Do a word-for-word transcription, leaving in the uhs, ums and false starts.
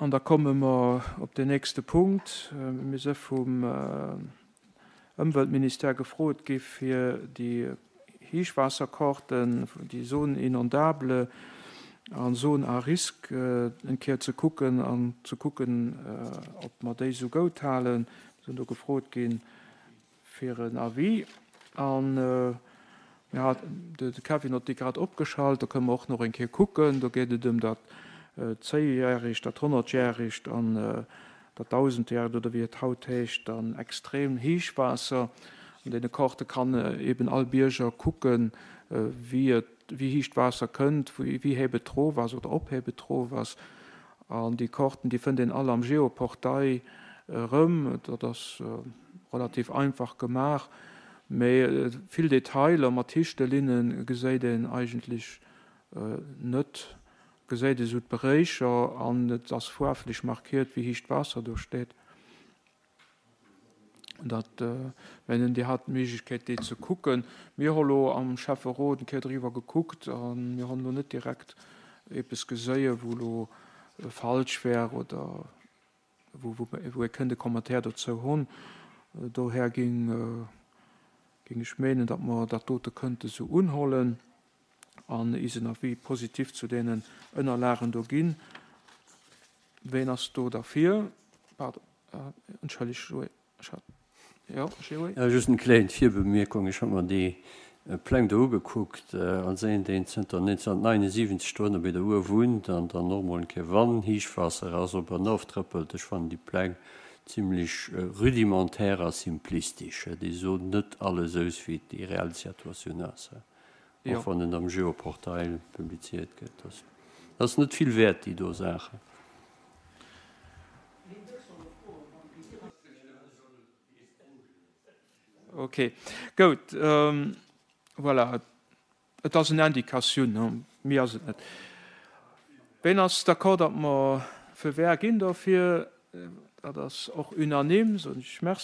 An da komme mer op den nächste Punkt. Mir si vum Ëmweltministère gefrot gi fir déi Héichwaasserkarten, déi Zones inondables an Zones à risque eng Kéier ze kucken an ze kucken, ob mer déi esou goud halen. Mir sinn do gefrot ginn fir en Avis. An mir hat de Kevin huet déi grad opgeschalt, do kënne mer och nach eng Kéier kucken. Do geet et ëm dat zéijäregt, dat honnertjäregt an dat dausendjäregt oder wéi et haut heescht, dann extrem Héichwaasser. An deene Karte kann eben all Bierger kucken, wéi et, wéi héich d'Waasser kënnt, wéi héich et erof ass oder ob héich et erof ass. An déi Karten, déi fënnt een all am Geoportail erëm. Dat ass relativ einfach gemaach, mee vill Detailer mat Hiichtelinne geséit een eigentlech net. Geséit esou d'Beréicher an et ass faarflech markiert, wéi héich d'Waasser do steet. Dat, mengen, Dir hat d'Méiglechkeet, déi ze kucken. Mir hu lo am Schäfferot eng Kéier driwwer gekuckt a mir hunn elo net direkt eppes geséien, wou elo falsch wär oder wou, wou ee kënnt e Commentaire dozou hunn. Dohär géing, géing ech menen, datt mer dat dote kënnte sou unhollen an isen Avis positif zu deenen Ënnerlagen do ginn. Ween ass do derfir? Pardon, entschëlleg, Joé, ech hat, jo, Joé? Ja, just eng kleng Virbemierkung. Ech hu mer déi Pläng do ugekuckt als een, deen zënter neunzehnhundertneunundsiwwenzeg do ënner bei der Our wunnt an dann och mol eng Kéier, wann Héichwaasser ass, op an oftrëppelt. Ech fannen déi Pläng zimmlech rudimentär a simplistesch. Déi soen net alles aus, wéi déi reell Situatioun ass, och wann en am Geoportail publiziert gëtt. Dat ass net vill wäert, déi do Saachen. Ok, goud. Voilà, et ass en Indikatioun, méi ass et net. Ween ass d'accord, datt mer Feu vert ginn dofir? Dat ass och unanime, soen ech Merci.